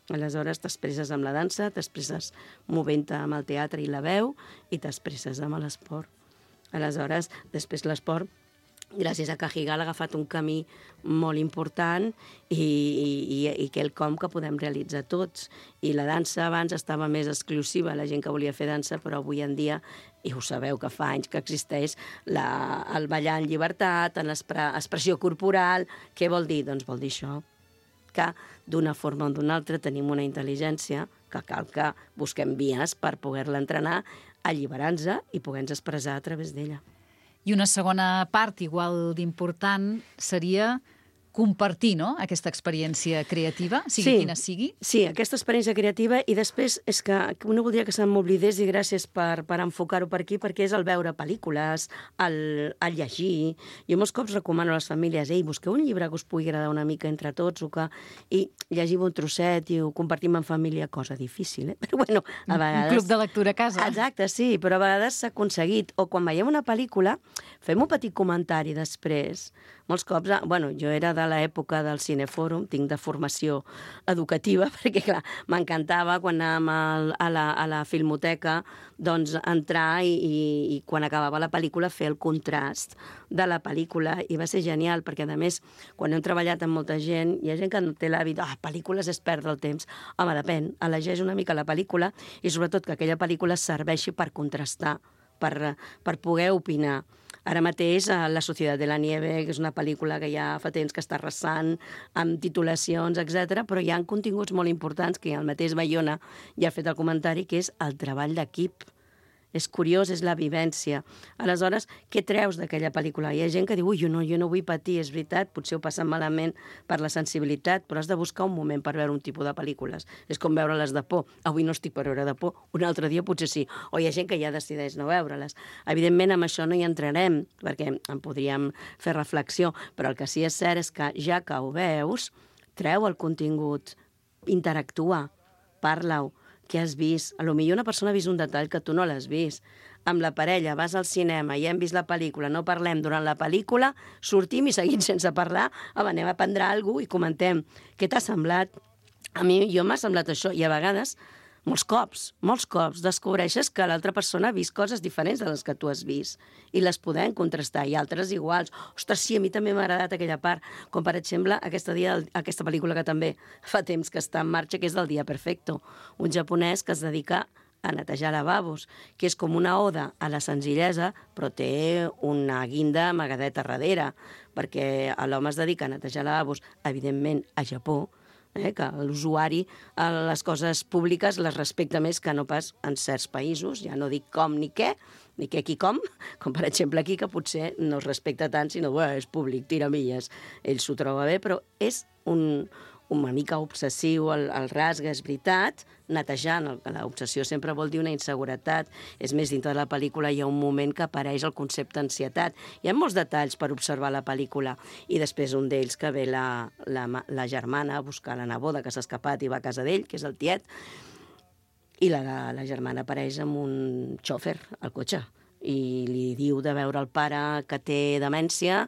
Aleshores, t'expresses amb la dansa, t'expresses movent-te amb el teatre i la veu, i t'expresses amb l'esport. Aleshores, després l'esport, gràcies a Cajigal, ha agafat un camí molt important i quelcom que podem realitzar tots. I la dansa abans estava més exclusiva, la gent que volia fer dansa, però avui en dia, i ho sabeu que fa anys que existeix, el ballar en llibertat, en l'expressió corporal. Què vol dir? Doncs vol dir això, que d'una forma o d'una altra tenim una intel·ligència que cal que busquem vies per poder-la entrenar, alliberant-se i poder-nos expressar a través d'ella. I una segona part igual d'important seria compartir, no?, aquesta experiència creativa, sigui quina sigui. Sí, aquesta experiència creativa, i després és que no voldria que se m'oblidés, i gràcies per enfocar-ho per aquí, perquè és el veure pel·lícules, el llegir. Jo molts cops recomano a les famílies, busqueu un llibre que us pugui agradar una mica entre tots, i llegiu un trosset i ho compartim en família, cosa difícil, però bueno, a vegades... Un club de lectura a casa. Exacte, sí, però a vegades s'ha aconseguit. O quan veiem una pel·lícula, fem un petit comentari després. Molts cops, jo era de l'època del Cinefòrum, tinc de formació educativa, perquè, clar, m'encantava quan anàvem a la filmoteca, doncs, entrar i quan acabava la pel·lícula fer el contrast de la pel·lícula, i va ser genial, perquè, a més, quan hem treballat amb molta gent, hi ha gent que no té l'hàbit, pel·lícules és perdre el temps. Home, depèn, elegeix una mica la pel·lícula, i sobretot que aquella pel·lícula serveixi per contrastar, per poder opinar. Ara mateix, La Societat de la Nieve, que és una pel·lícula que ja fa temps que està arrasant, amb titulacions, etc., però hi ha continguts molt importants, que el mateix Bayona ja ha fet el comentari, que és el treball d'equip. És curiós, és la vivència. Aleshores, què treus d'aquella pel·lícula? Hi ha gent que diu, jo no vull patir, és veritat, potser ho passen malament per la sensibilitat, però has de buscar un moment per veure un tipus de pel·lícules. És com veure les de por. Avui no estic per veure de por, un altre dia potser sí. O hi ha gent que ja decideix no veure-les. Evidentment, amb això no hi entrarem, perquè en podríem fer reflexió, però el que sí és cert és que, ja que ho veus, treu el contingut, interactua, parla-ho. Què has vist? A lo millor una persona ha vist un detall que tu no l'has vist. Amb la parella, vas al cinema i hem vist la pel·lícula, no parlem durant la pel·lícula, sortim i seguim sense parlar, anem a prendre alguna cosa i comentem. Què t'ha semblat? A mi, m'ha semblat això, i a vegades, molts cops, descobreixes que l'altra persona ha vist coses diferents de les que tu has vist i les podem contrastar, i altres iguals. Ostres, sí, a mi també m'ha agradat aquella part, com per exemple aquesta pel·lícula que també fa temps que està en marxa, que és del Dia Perfecto, un japonès que es dedica a netejar lavabos, que és com una oda a la senzillesa, però té una guinda amagadeta darrere, perquè l'home es dedica a netejar lavabos, evidentment, a Japó, que l'usuari a les coses públiques les respecta més que no pas en certs països, ja no dic com ni què qui com per exemple aquí, que potser no es respecta tant, sinó, és públic, tira milles. Ell s'ho troba bé, però és una mica obsessiu, el rasga, és veritat, netejant. L'obsessió sempre vol dir una inseguretat. És més, dintre de la pel·lícula hi ha un moment que apareix el concepte ansietat. Hi ha molts detalls per observar la pel·lícula. I després un d'ells que ve la germana a buscar la neboda que s'ha escapat i va a casa d'ell, que és el tiet, i la germana apareix amb un xòfer al cotxe i li diu de veure el pare que té demència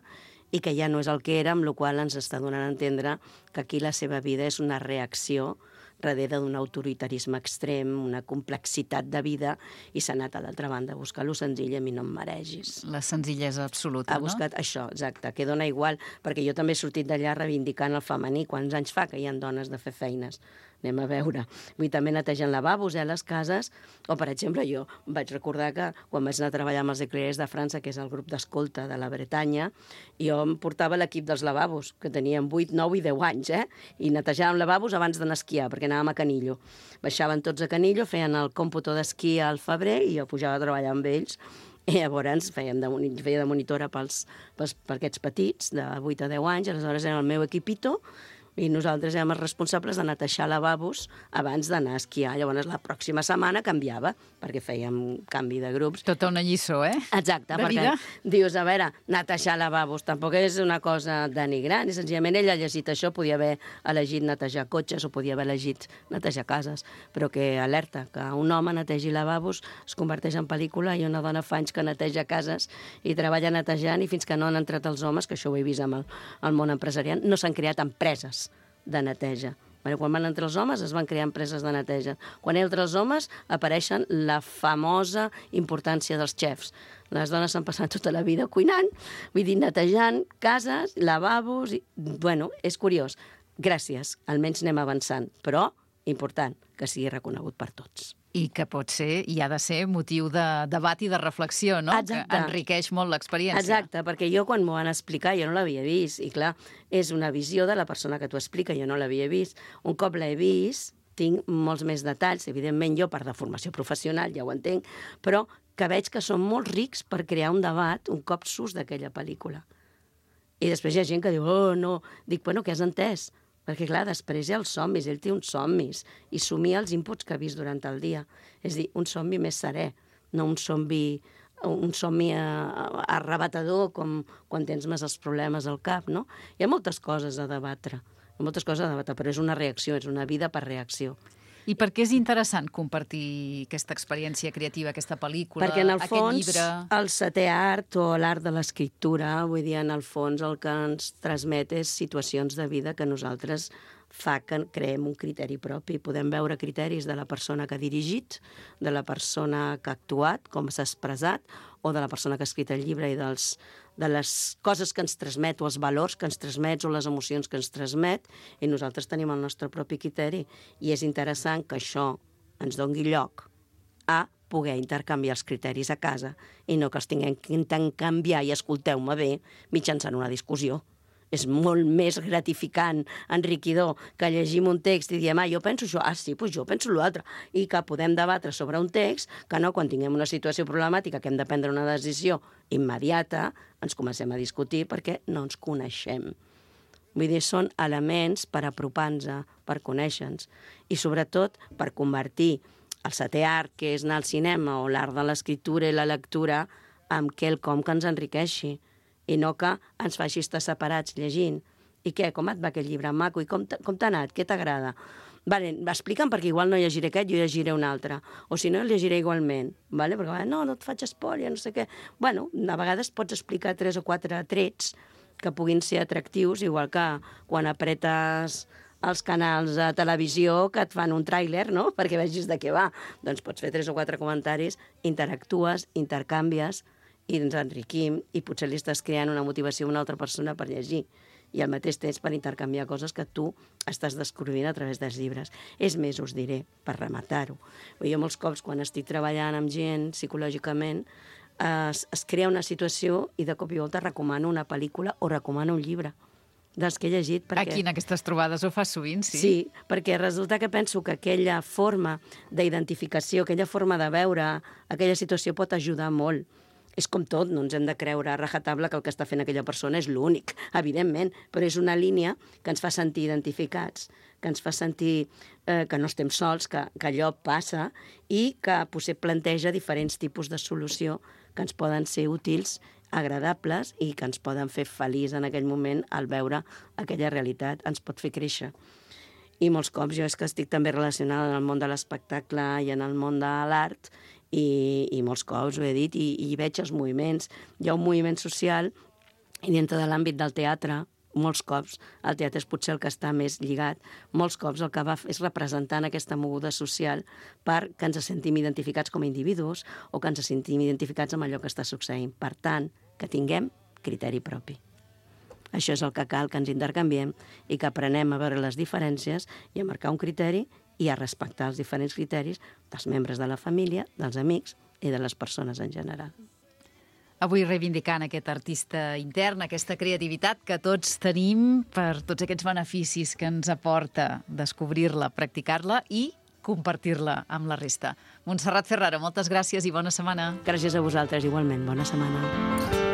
i que ja no és el que era, amb la qual cosa ens està donant a entendre que aquí la seva vida és una reacció darrere d'un autoritarisme extrem, una complexitat de vida, i s'ha anat a l'altra banda a buscar lo senzill, a mi no em maregis. La senzillesa absoluta, Ha buscat això, exacte, que dona igual, perquè jo també he sortit d'allà reivindicant el femení. Quants anys fa que hi ha dones de fer feines? Anem a veure. Vull dir, també netegen lavabos, les cases, o, per exemple, jo vaig recordar que quan vaig anar a treballar amb els Eclairers de França, que és el grup d'escolta de la Bretanya, jo em portava l'equip dels lavabos, que tenien 8, 9 i 10 anys, i netejàvem lavabos abans d'anar a esquiar, perquè anàvem a Canillo. Baixaven tots a Canillo, feien el còmputo d'esquí al febrer, i jo pujava a treballar amb ells, i llavors feia de monitora per aquests petits, de 8 a 10 anys, aleshores era el meu equipito, i nosaltres érem els responsables de netejar lavabos abans d'anar a esquiar. Llavors, la pròxima setmana canviava, perquè fèiem canvi de grups. Tota una lliçó, Exacte, de perquè vida. dius, a veure, netejar lavabos tampoc és una cosa denigrant, i senzillament ell ha llegit això, podia haver elegit netejar cotxes o podia haver elegit netejar cases, però que alerta, que un home netegi lavabos es converteix en pel·lícula, i una dona fa anys que neteja cases i treballa netejant, i fins que no han entrat els homes, que això ho he vist amb el món empresarial, no s'han creat empreses de neteja. Quan van entrar els homes es van crear empreses de neteja. Quan entren els homes apareixen la famosa importància dels xefs. Les dones s'han passat tota la vida cuinant, vull dir, netejant cases, lavabos... Bueno, és curiós. Gràcies, almenys anem avançant, però important que sigui reconegut per tots. I que pot ser, i ha de ser, motiu de debat i de reflexió, no? Exacte. Que enriqueix molt l'experiència. Exacte, perquè jo quan m'ho van explicar jo no l'havia vist, i clar, és una visió de la persona que t'ho explica, jo no l'havia vist. Un cop l'he vist, tinc molts més detalls, evidentment jo per deformació professional ja ho entenc, però que veig que són molt rics per crear un debat un cop surts d'aquella pel·lícula. I després hi ha gent que diu, oh, no, dic, bueno, què has entès? Perquè, clar, després hi ha els somnis, ell té uns somnis, i somia els inputs que ha vist durant el dia. És a dir, un somni més serè, no un somni arrebatador com quan tens més els problemes al cap, no? Hi ha moltes coses a debatre, però és una reacció, és una vida per reacció. I per què és interessant compartir aquesta experiència creativa, aquesta pel·lícula, perquè en el aquest fons, llibre? el setè art o l'art de l'escriptura, vull dir, en el fons el que ens transmet és situacions de vida que nosaltres fa que creem un criteri propi. Podem veure criteris de la persona que ha dirigit, de la persona que ha actuat, com s'ha expressat, o de la persona que ha escrit el llibre i de les coses que ens transmet, o els valors que ens transmet, o les emocions que ens transmet, i nosaltres tenim el nostre propi criteri. I és interessant que això ens doni lloc a poder intercanviar els criteris a casa i no que els tinguem que canviar, i escolteu-me bé, mitjançant una discussió. És molt més gratificant, enriquidor, que llegim un text i diem, jo penso això, sí, doncs jo penso l'altre, i que podem debatre sobre un text, que no, quan tinguem una situació problemàtica que hem de prendre una decisió immediata, ens comencem a discutir perquè no ens coneixem. Vull dir, són elements per apropar-nos, per conèixer-nos, i sobretot per convertir el setè art, que és anar al cinema, o l'art de l'escriptura i la lectura, en quelcom que ens enriqueixi, i no que ens faci estar separats llegint. I què, com et va aquest llibre, maco? I com t'ha anat? Què t'agrada? Vale, explica'm, perquè igual no llegiré aquest, jo llegiré un altre. O si no, el llegiré igualment. Vale? Perquè no et faig espòlia, no sé què. Bueno, a vegades pots explicar 3 o 4 trets que puguin ser atractius, igual que quan apretes els canals de televisió que et fan un tràiler, no?, perquè vegis de què va. Doncs pots fer 3 o 4 comentaris, interactues, intercanvies, i ens enriquim, i potser li estàs creant una motivació a una altra persona per llegir, i al mateix temps per intercanviar coses que tu estàs descobrint a través dels llibres. És més, us diré, per rematar-ho. Jo molts cops, quan estic treballant amb gent psicològicament, es crea una situació i de cop i volta recomano una pel·lícula o recomano un llibre dels que he llegit. Aquí en aquestes trobades ho fas sovint, sí? Sí, perquè resulta que penso que aquella forma d'identificació, aquella forma de veure aquella situació pot ajudar molt. És com tot, no ens hem de creure a rajatabla que el que està fent aquella persona és l'únic, evidentment, però és una línia que ens fa sentir identificats, que ens fa sentir que no estem sols, que allò passa, i que potser planteja diferents tipus de solució que ens poden ser útils, agradables, i que ens poden fer feliç en aquell moment al veure aquella realitat, ens pot fer créixer. I molts cops jo és que estic també relacionada en el món de l'espectacle i en el món de l'art, i molts cops ho he dit, i veig els moviments. Hi ha un moviment social, i dintre de l'àmbit del teatre, molts cops el teatre és potser el que està més lligat, molts cops el que va és representant aquesta moguda social perquè ens sentim identificats com a individus o que ens sentim identificats amb allò que està succeint. Per tant, que tinguem criteri propi. Això és el que cal, que ens intercanviem i que aprenem a veure les diferències i a marcar un criteri i a respectar els diferents criteris dels membres de la família, dels amics i de les persones en general. Avui reivindicant aquest artista intern, aquesta creativitat que tots tenim per tots aquests beneficis que ens aporta descobrir-la, practicar-la i compartir-la amb la resta. Montserrat Ferraro, moltes gràcies i bona setmana. Gràcies a vosaltres, igualment. Bona setmana.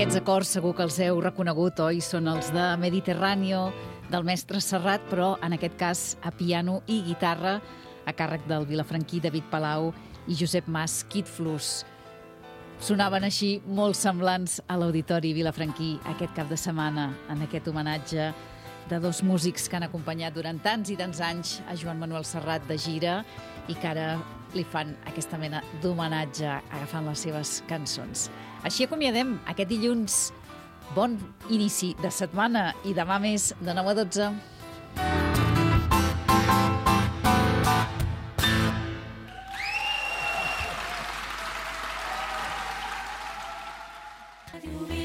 Aquests acords segur que els heu reconegut, oi? Són els de Mediterráneo, del mestre Serrat, però en aquest cas a piano i guitarra, a càrrec del vilafranquí David Palau i Josep Mas Quitflus. Sonaven així molt semblants a l'Auditori Vilafranquí aquest cap de setmana, en aquest homenatge de dos músics que han acompanyat durant tants i tants anys a Joan Manuel Serrat de gira i que ara li fan aquesta mena d'homenatge agafant les seves cançons. Així acomiadem aquest dilluns. Bon inici de setmana i demà més de 9 a 12. Radio